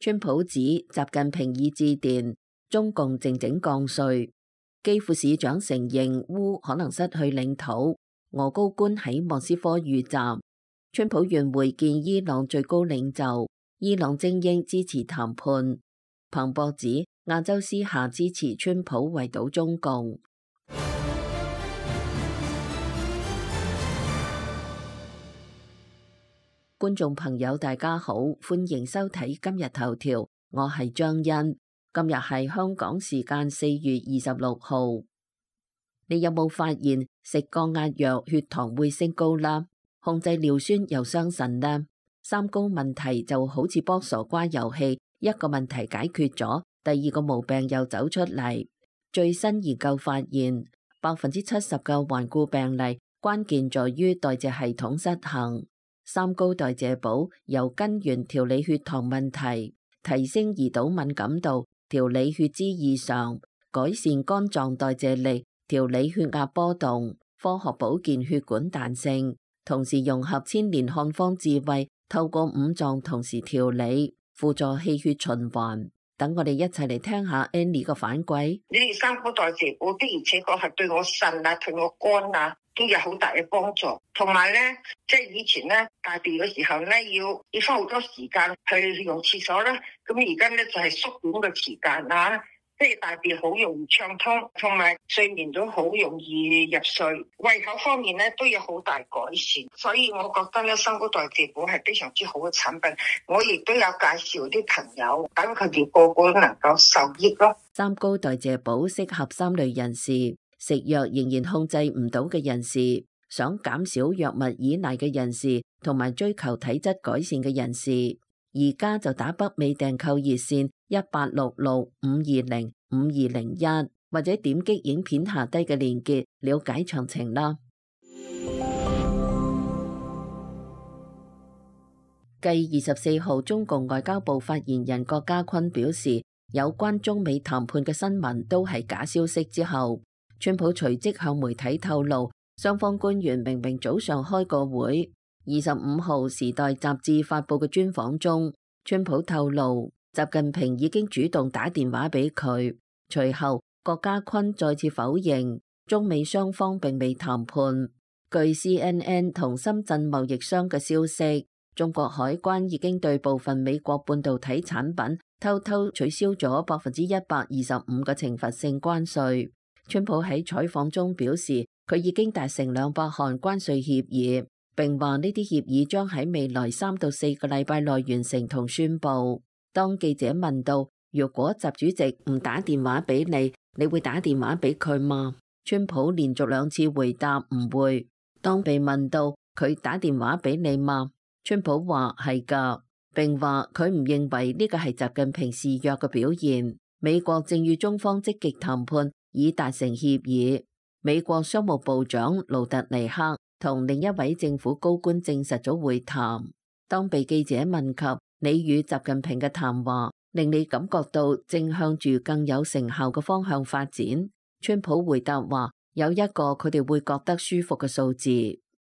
川普指習近平已致電中共靜靜降稅。基輔市長承認烏可能失去領土。俄高官喺莫斯科遇襲。川普願會見伊朗最高領袖。伊朗精英支持談判。彭博指亞洲私下支持川普圍堵中共。觀眾朋友大家好，歡迎收睇今日頭條，我係張欣。今日係香港時間4月26號。你有冇發現食降壓藥血糖會升高啦？控制尿酸又傷腎啦？三高問題就好似卜傻瓜遊戲，一個問題解決咗，第二個毛病又走出嚟。最新研究發現，70%嘅頑固病例關鍵在於代謝系統失衡。三高代謝寶由根源調理血糖問題，提升胰島敏感度，調理血脂異常，改善肝臟代謝力，調理血壓波動，科學保健血管彈性，同時融合千年漢方智慧，透過五臟同時調理，輔助氣血循環。等我哋一齊嚟聽下 Annie 個反饋。你哋三高代謝寶的而且確係對我腎啊，對我肝啊都有好大嘅幫助。同埋咧，即係以前咧大便嘅時候咧，要花好多時間去用廁所啦。咁而家咧就係縮短嘅時間啊，即係大便好容易暢通，同埋睡眠都好容易入睡。胃口方面咧都有好大改善，所以我覺得咧三高代謝寶係非常之好嘅產品。我亦都有介紹啲朋友，等佢哋個個都能夠受益咯。三高代謝寶適合三類人士：食藥仍然控制唔到嘅人士，想減少藥物依賴嘅人士，同埋追求體質改善嘅人士。而家就打北美訂購熱線1866-520-5201，或者點擊影片下低嘅鏈接了解詳情啦。繼24號中共外交部發言人郭家坤表示有關中美談判嘅新聞都係假消息之後，川普隨即向媒體透露，雙方官員明明早上開過會。25號時代雜誌發佈嘅專訪中，川普透露習近平已經主動打電話俾佢。隨後郭家坤再次否認中美雙方並未談判。據 CNN 同深圳貿易商嘅消息，中國海關已經對部分美國半導體產品偷偷取消咗125%嘅懲罰性關稅。川普喺採訪中表示，佢已經達成200項關稅協議，並話呢啲協議將喺未來3到4個禮拜內完成同宣佈。當記者問到，如果習主席唔打電話俾你，你會打電話俾佢嗎？川普連續2次回答唔會。當被問到佢打電話俾你嗎？川普話係㗎，並話佢唔認為呢個係習近平示弱嘅表現。美國正與中方積極談判，已達成協議。美國商務部長盧特尼克同另一位政府高官證實咗會談。當被記者問及你與習近平嘅談話令你感覺到正向住更有成效嘅方向發展，川普回答話有一個佢哋會覺得舒服嘅數字。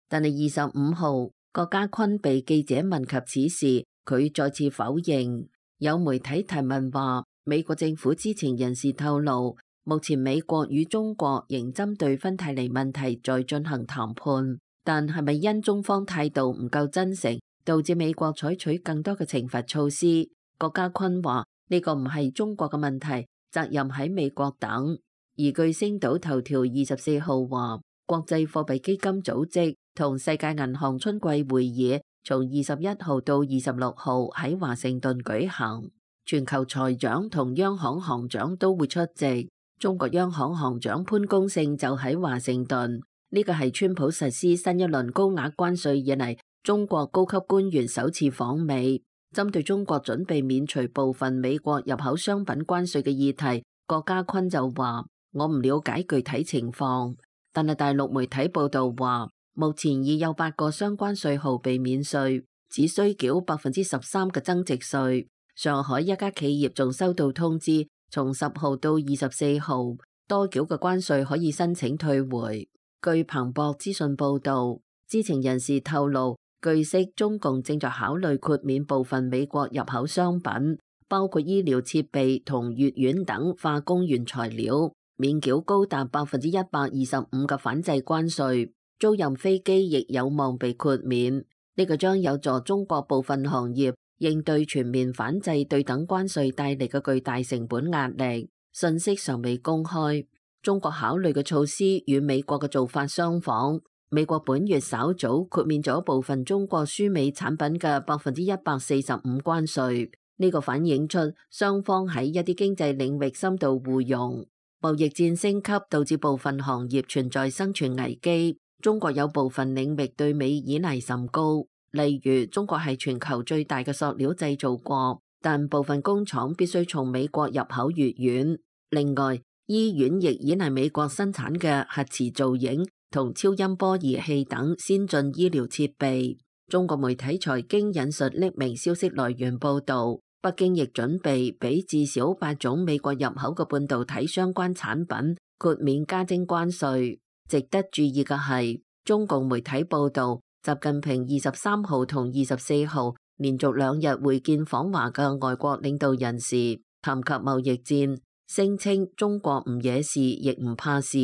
但係25號郭家坤被記者問及此事，佢再次否認。有媒體提問話，美國政府知情人士透露，目前美國與中國仍針對芬太尼問題在進行談判，但係咪因中方態度唔夠真誠，導致美國採取更多嘅懲罰措施？郭家坤話呢個唔係中國嘅問題，責任喺美國等。而據星島頭條24號話，國際貨幣基金組織同世界銀行春季會議從21號到26號喺華盛頓舉行，全球財長同央行行長都會出席。中國央行行長潘功勝就喺華盛頓，呢個係川普實施新一輪高額關稅以嚟中國高級官員首次訪美。針對中國準備免除部分美國入口商品關稅嘅議題，郭家坤就話：我唔了解具體情況，但係大陸媒體報道話，目前已有8個相關稅號被免稅，只需繳13%嘅增值稅。上海一家企業仲收到通知，從10號到24號，多繳嘅關稅可以申請退回。據彭博資訊報道，知情人士透露，據悉中共正在考慮豁免部分美國入口商品，包括醫療設備同乙烷等化工原材料，免繳高達125%嘅反制關稅。租賃飛機亦有望被豁免，呢個將有助中國部分行業應對全面反制對等關稅帶嚟嘅巨大成本壓力。信息尚未公開。中國考慮嘅措施與美國嘅做法相仿。美國本月稍早豁免咗部分中國輸美產品嘅145%關稅，呢個反映出雙方喺一啲經濟領域深度互融。貿易戰升級導致部分行業存在生存危機。中國有部分領域對美依賴甚高，例如中國係全球最大嘅塑料製造國，但部分工廠必須從美國入口越遠。另外，醫院亦依賴美國生產嘅核磁造影同超音波儀器等先進醫療設備。中國媒體財經引述匿名消息來源報導，北京亦準備俾至少8種美國入口嘅半導體相關產品豁免加徵關稅。值得注意嘅係，中共媒體報導，習近平23號同24號連續2日會見訪華嘅外國領導人時，談及貿易戰，聲稱中國唔惹事亦唔怕事。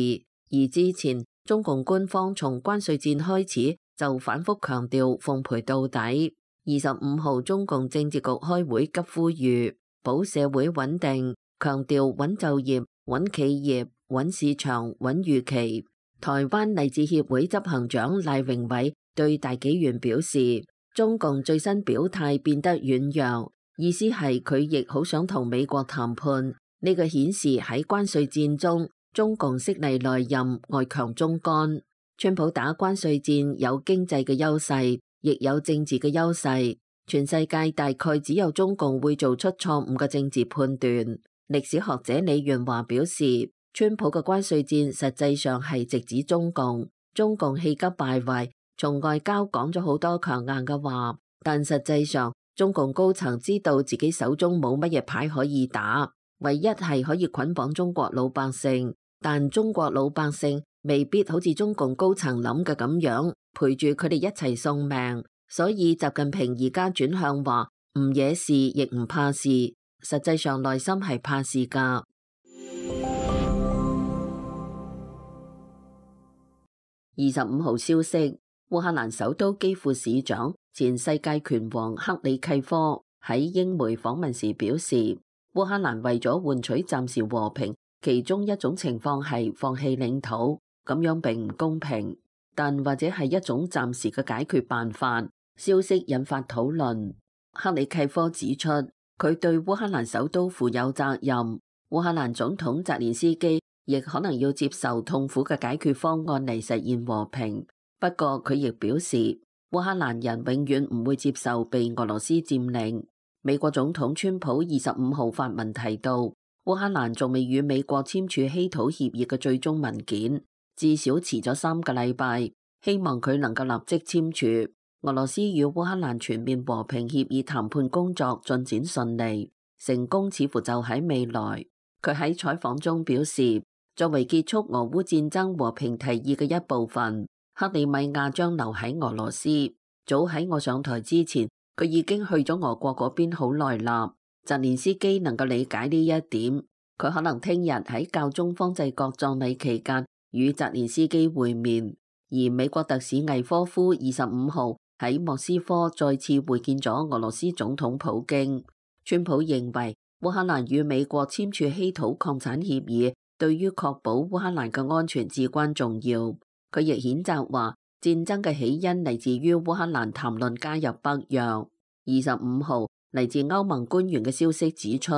而之前中共官方從關稅戰開始就反覆強調奉陪到底。25號中共政治局開會急呼籲保社會穩定，強調穩就業、穩企業、穩市場、穩預期。台灣勵志協會執行長賴榮偉對大紀元表示，中共最新表態變得軟弱，意思係佢亦好想同美國談判。呢個顯示喺關稅戰中，中共悉尼內任，外強中乾。川普打關稅戰有經濟嘅優勢，亦有政治嘅優勢。全世界大概只有中共會做出錯誤嘅政治判斷。歷史學者李元華表示，川普嘅關稅戰實際上係直指中共，中共氣急敗壞，從外交講咗好多強硬嘅話，但實際上中共高層知道自己手中冇乜嘢牌可以打，唯一係可以捆綁中國老百姓，但中國老百姓未必好似中共高層諗嘅咁樣陪住佢哋一齊送命，所以習近平而家轉向話唔惹事亦唔怕事，實際上內心係怕事㗎。25號消息，烏克蘭首都基輔市長前世界拳王克里契科喺英媒訪問時表示，烏克蘭為咗換取暫時和平，其中一種情況係放棄領土，咁樣並唔公平，但或者係一種暫時嘅解決辦法。消息引發討論。克里契科指出，佢對烏克蘭首都負有責任，烏克蘭總統澤連斯基亦可能要接受痛苦嘅解決方案嚟實現和平。不過佢亦表示，烏克蘭人永遠唔會接受被俄羅斯佔領。美國總統川普25號發文提到，烏克蘭仲未與美國簽署稀土協議嘅最終文件，至少遲咗3個禮拜，希望佢能夠立即簽署。俄羅斯與烏克蘭全面和平協議談判工作進展順利，成功似乎就喺未來。佢喺採訪中表示，作為結束俄烏戰爭和平提議嘅一部分，克里米亞將留喺俄羅斯。早喺我上台之前，佢已經去咗俄國嗰邊好耐啦。澤連斯基能夠理解呢一點，佢可能聽日喺教宗方濟各葬禮期間與澤連斯基會面。而美國特使魏科夫25號喺莫斯科再次會見咗俄羅斯總統普京。川普認為烏克蘭與美國簽署稀土礦產協議，對於確保烏克蘭嘅安全至關重要。佢亦譴責話，戰爭嘅起因嚟自於烏克蘭談論加入北約。25號嚟自歐盟官員嘅消息指出，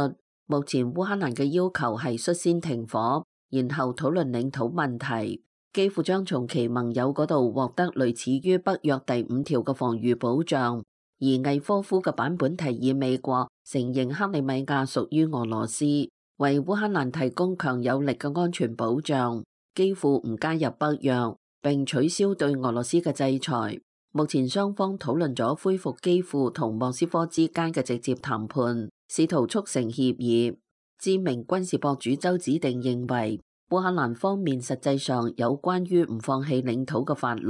目前烏克蘭嘅要求係率先停火，然後討論領土問題。基輔將從其盟友嗰度獲得類似於北約第5條嘅防禦保障。而魏科夫嘅版本提議美國承認克里米亞屬於俄羅斯，為烏克蘭提供強有力嘅安全保障。基輔唔加入北約，並取消對俄羅斯嘅制裁。目前雙方討論咗恢復基輔同莫斯科之間嘅直接談判，試圖促成協議。知名軍事博主周子定認為，烏克蘭方面實際上有關於唔放棄領土嘅法律，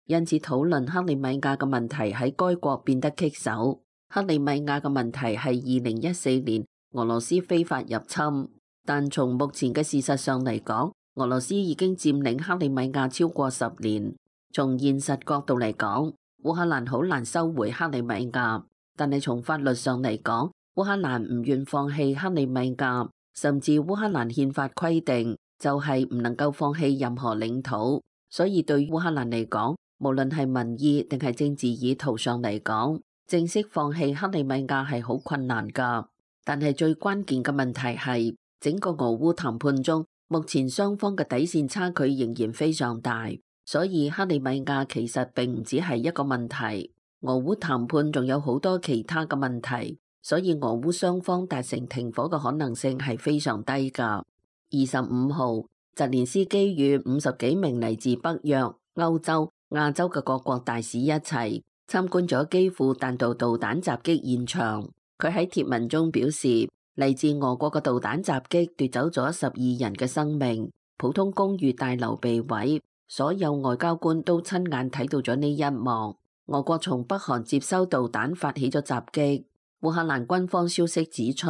因此討論克里米亞嘅問題喺該國變得棘手。克里米亞嘅問題係2014年俄羅斯非法入侵，但從目前嘅事實上嚟講，俄羅斯已經佔領克里米亞超過10年。從現實角度嚟講，烏克蘭好難收回克里米亞，但係從法律上嚟講，烏克蘭唔願放棄克里米亞，甚至烏克蘭憲法規定就係唔能夠放棄任何領土。所以對烏克蘭嚟講，無論係民意定係政治意圖上嚟講，正式放棄克里米亞係好困難㗎。但係最關鍵嘅問題係，整個俄烏談判中，目前雙方嘅底線差距仍然非常大，所以克里米亞其實並唔止係一個問題。俄烏談判仲有好多其他嘅問題，所以俄烏雙方達成停火嘅可能性係非常低㗎。25號，澤連斯基與50幾名嚟自北約、歐洲、亞洲嘅各國大使一齊參觀咗基輔彈道導彈襲擊現場。佢喺貼文中表示，嚟自俄國嘅導彈襲擊奪走咗12人嘅生命，普通公寓大樓被毀，所有外交官都親眼睇到咗呢一幕。俄國從北韓接收導彈發起咗襲擊。烏克蘭軍方消息指出，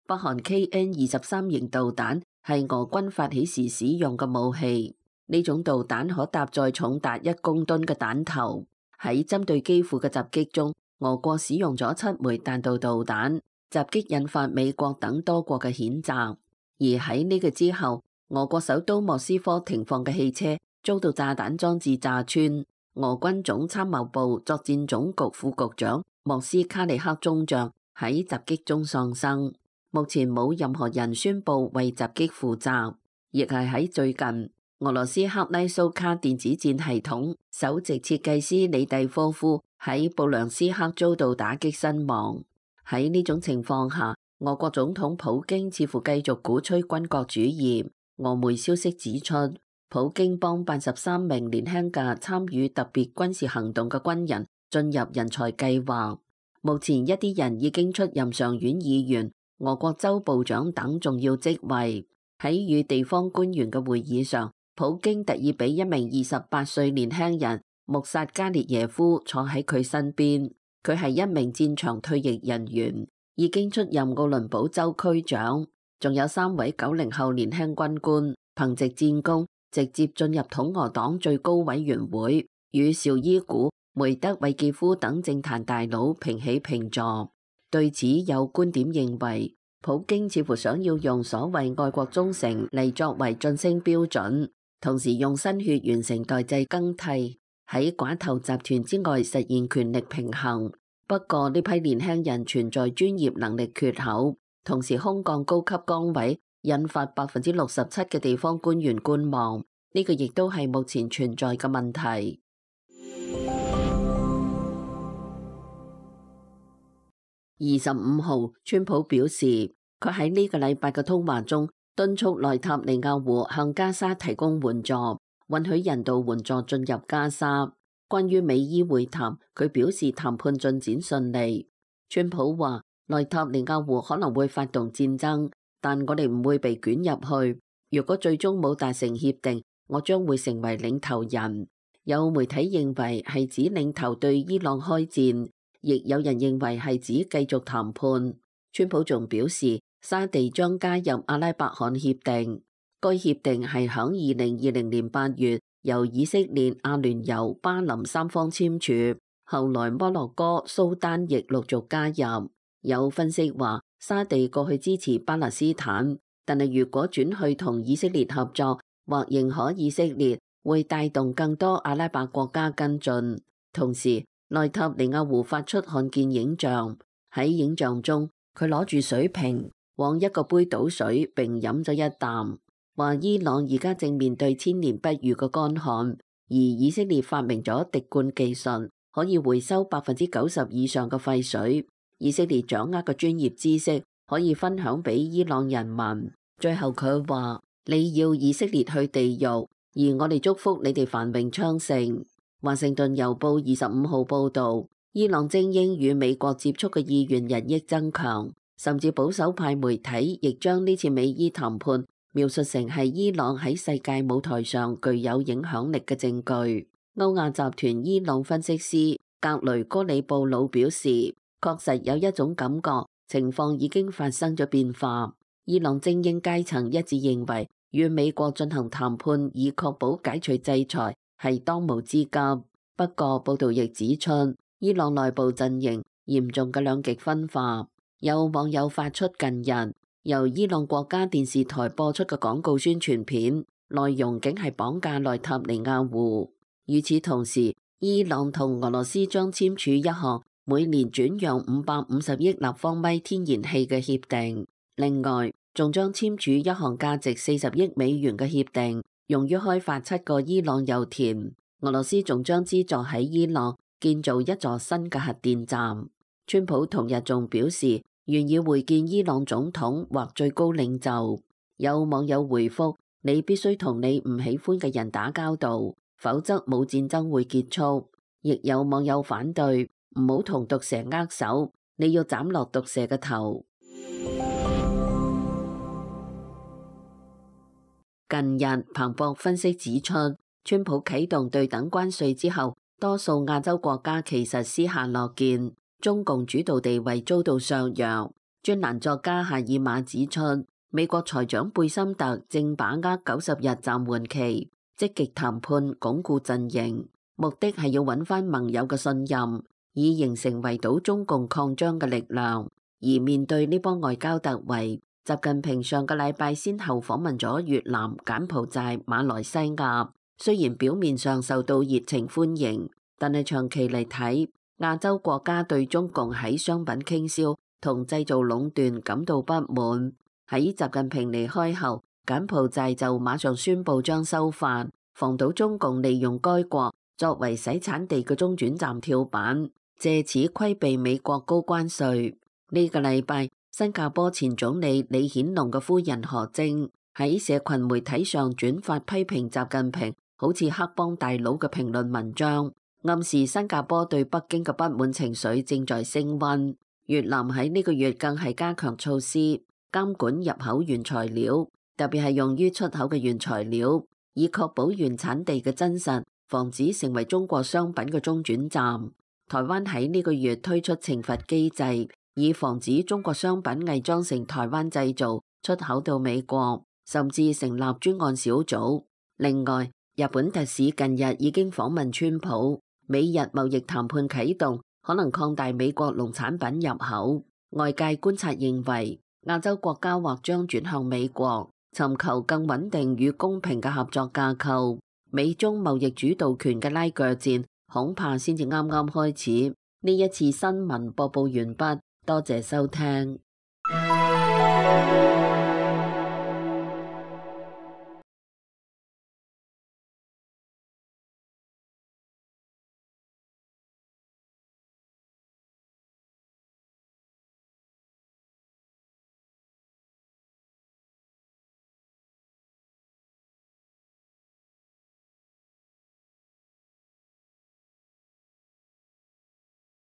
北韓 KN-23型導彈係俄軍發起時使用嘅武器，呢種導彈可搭載重達1公噸嘅彈頭。喺針對基輔嘅襲擊中，俄國使用咗7枚彈道導彈，襲擊引發美國等多國嘅譴責。而喺呢個之後，俄國首都莫斯科停放嘅汽車遭到炸彈裝置炸穿，俄軍總參謀部作戰總局副局長莫斯卡利克中將喺襲擊中喪生。目前冇任何人宣布為襲擊負責，亦係喺最近，俄羅斯克拉蘇卡電子戰系統首席設計師李蒂科夫喺布良斯克遭到打擊身亡。喺呢種情況下，俄國總統普京似乎繼續鼓吹軍國主義。俄媒消息指出，普京幫辦13名年輕嘅參與特別軍事行動嘅軍人進入人才計劃。目前一啲人已經出任上院議員、俄國州部長等重要職位。喺與地方官員嘅會議上，普京特意俾一名28歲年輕人穆薩加列耶夫坐喺佢身邊。佢係一名戰場退役人員，已經出任奧倫堡州區長。仲有3位90後年輕軍官，憑藉戰功直接進入統俄黨最高委員會，與紹伊古、梅德韋傑夫等政壇大佬平起平坐。對此有觀點認為，普京似乎想要用所謂愛國忠誠嚟作為晉升標準，同時用新血完成代際更替，喺寡頭集團之外實現權力平衡。不過呢批年輕人存在專業能力缺口，同時空降高級崗位，引發67%嘅地方官員觀望。呢個亦都係目前存在嘅問題。25號，川普表示，佢喺呢個禮拜嘅通話中敦促內塔尼亞胡向加沙提供援助，允許人道援助進入加沙。關於美伊會談，佢表示談判進展順利。川普話，內塔尼亞胡可能會發動戰爭，但我哋唔會被捲入去。如果最終冇達成協定，我將會成為領頭人。有媒體認為係指領頭對伊朗開戰，亦有人認為係指繼續談判。川普仲表示，沙地將加入阿拉伯罕協定。該協定係響2020年8月由以色列、阿聯酋、巴林3方簽署，後來摩洛哥、蘇丹亦陸續加入。有分析話，沙地過去支持巴勒斯坦，但係如果轉去同以色列合作或認可以色列，會帶動更多阿拉伯國家跟進。同時，內塔尼亞胡發出看見影像，喺影像中佢攞住水瓶往一個杯倒水並飲咗一啖，話伊朗而家正面對千年不遇嘅乾旱，而以色列發明咗滴灌技術，可以回收90%以上嘅廢水。以色列掌握嘅專業知識可以分享俾伊朗人民。最後佢話，你要以色列去地獄，而我哋祝福你哋繁榮昌盛。華盛頓郵報25號報道，伊朗精英與美國接觸嘅意願日益增強，甚至保守派媒體亦將呢次美伊談判描述成係伊朗喺世界舞台上具有影響力嘅證據。歐亞集團伊朗分析師格雷戈里布魯表示，確實有一種感覺，情況已經發生咗變化。伊朗精英階層一致認為，與美國進行談判以確保解除制裁係當務之急。不過，報道亦指出，伊朗內部陣營嚴重嘅兩極分化。有網友發出近日由伊朗國家電視台播出嘅廣告宣傳片，內容竟係綁架內塔尼亞胡。與此同時，伊朗同俄羅斯將簽署一項每年轉讓550億立方米天然氣嘅協定，另外仲將簽署一項價值40億美元嘅協定，用於開發7個伊朗油田。俄羅斯仲將資助喺伊朗建造一座新嘅核電站。川普同日仲表示願意會見伊朗總統或最高領袖。有網友回覆：你必須同你唔喜歡嘅人打交道，否則冇戰爭會結束。亦有網友反對：唔好同毒蛇握手，你要斬落毒蛇嘅頭。近日，彭博分析指出，川普啟動對等關稅之後，多數亞洲國家其實私下樂見，中共主導地位遭到削弱。專欄作家夏爾馬指出，美國財長貝森特正把握90日暫緩期，積極談判鞏固陣營，目的係要揾翻盟友嘅信任，以形成圍堵中共擴張嘅力量。而面對呢波外交突圍，習近平上個禮拜先後訪問咗越南、柬埔寨、馬來西亞，雖然表面上受到熱情歡迎，但係長期嚟睇，亞洲國家對中共喺商品傾銷同製造壟斷感到不滿。喺習近平離開後，柬埔寨就馬上宣布將修法，防堵中共利用該國作為洗產地嘅中轉站跳板，借此規避美國高關稅。呢個禮拜，新加坡前總理李顯龍嘅夫人何晶喺社群媒體上轉發批評習近平好似黑幫大佬嘅評論文章，暗示新加坡對北京嘅不滿情緒正在升溫。越南喺呢個月更係加強措施監管入口原材料，特別係用於出口嘅原材料，以確保原產地嘅真實，防止成為中國商品嘅中轉站。台灣喺呢個月推出懲罰機制，以防止中國商品偽裝成台灣製造出口到美國，甚至成立專案小組。另外，日本特使近日已經訪問川普，美日貿易談判啟動，可能擴大美國農產品入口。外界觀察認為，亞洲國家或將轉向美國，尋求更穩定與公平嘅合作架構。美中貿易主導權嘅拉鋸戰，恐怕先至啱啱開始。呢一次新聞播報完畢。多謝收聽。